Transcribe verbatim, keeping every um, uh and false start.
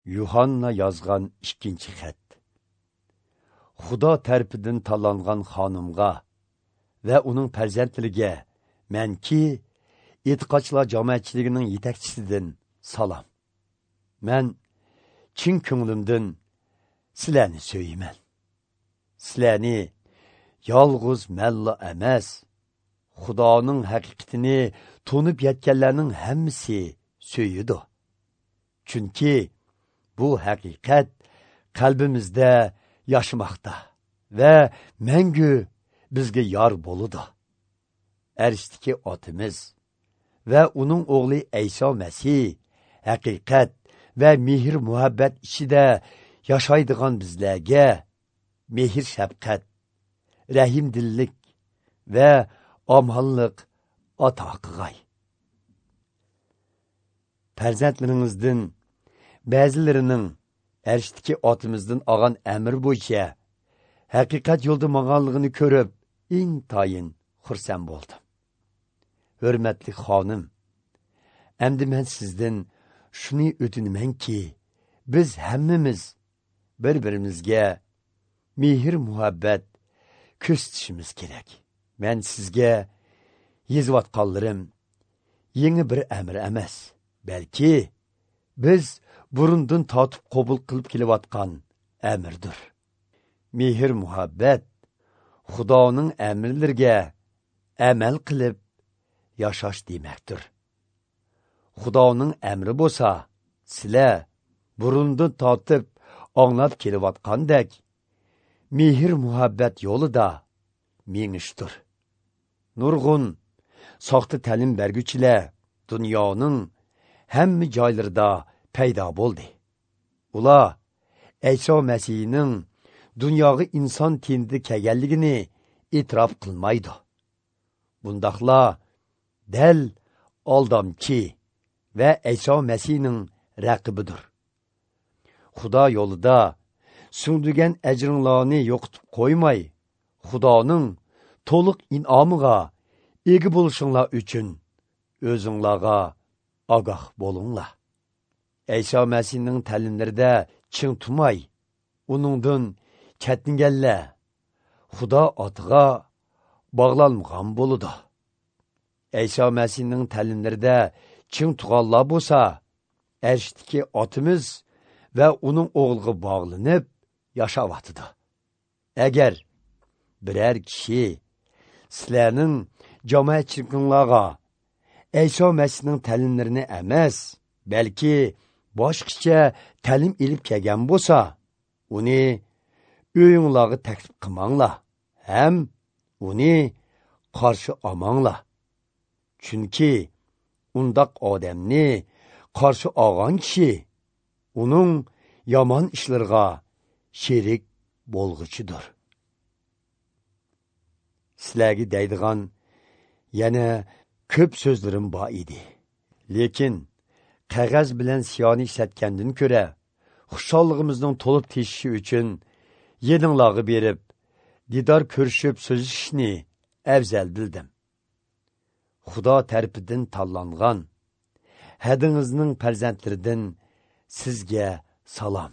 Yuhanna yozgan ikkinchi xat. Xudo tarafidan tanlangan xonimga va uning farzandlariga manki e'tiqodchilar jamoatchiligining yetakchisidan salom. Men chin ko'nglimdan sizlarni so'yayman. Sizlarni yolg'iz manla emas, Xudoning haqiqatini tunib yetganlarning hammasi so'yidi. Chunki bu haqiqat qalbimizda yaşamoqda va mangu bizga yor bo'ladi. Arshdagi otimiz va uning o'g'li Ayso Masih haqiqat va mehr muhabbat ichida yashaydigan bizlarga mehr shafqat, rahimdillik va omonlik ato qilg'ay. Farzandlaringizdan ba'zilarining arshdagi otimizdan olgan amr bo'yicha haqiqat yo'lda mang'anligini ko'rib intayin xursand bo'ldim. Hurmatli xonim, endi men sizdan shuni o'tinamanki, biz hammamiz bir-birimizga mehr muhabbat ko'rsatishimiz kerak. Men sizga yozayotganlarim yangi bir amr emas, balki biz burundan tortib qabul qilib kelayotgan amirdir. Mehr muhabbat Xudoning amrlariga amal qilib yashash demakdir. Xudoning amri bo'lsa, sizlar burundan tortib anglab kelayotgandek mehr muhabbat yo'lida mengishdir. Nurg'un soxta ta'lim berguchilar dunyoning hamma joylarida paydo bo'ldi. Ular Ayso Masihning dunyoga inson tenida kelganligini e'tirof qilmaydi. Bundaqla dal aldamchi va Ayso Masihning raqibidir. Xudo yo'lida singdirgan ajringlarni yo'qotib qo'ymay, Xudoning to'liq in'omiga ega bo'lishinglar uchun o'zinglarga ogoh bo'linglar. Ayso Masihning ta'limlarida ching tumay, uningdan chetinganlar Xudo otiga bog'lanmagan bo'ladi. Ayso Masihning ta'limlarida ching tug'anlar bo'lsa, arshdagi otimiz va uning o'g'liga bog'lanib yashayotidi. Agar biror kishi sizlarning jamoatchiliginglarga Ayso Masihning ta'limlarini emas, balki boshqacha ta'lim ilib kelgan bo'lsa, uni uyinglarga taklif qilmanglar, ham uni qarshi olmanglar. Chunki undoq odamni qarshi olgan kishi uning yomon ishlariga sherik bo'lg'uchidir. Sizlarga deydigan yana ko'p so'zlarim bor edi. Lekin qog'oz bilan siyoni ishlatgandan ko'ra, xushalligimizning to'lib teshishi uchun yedinglarga berib, didor ko'rishib so'zlashishni afzal bildim. Xudo tarafidan tanlangan hadingizning farzandlaridan sizga salom.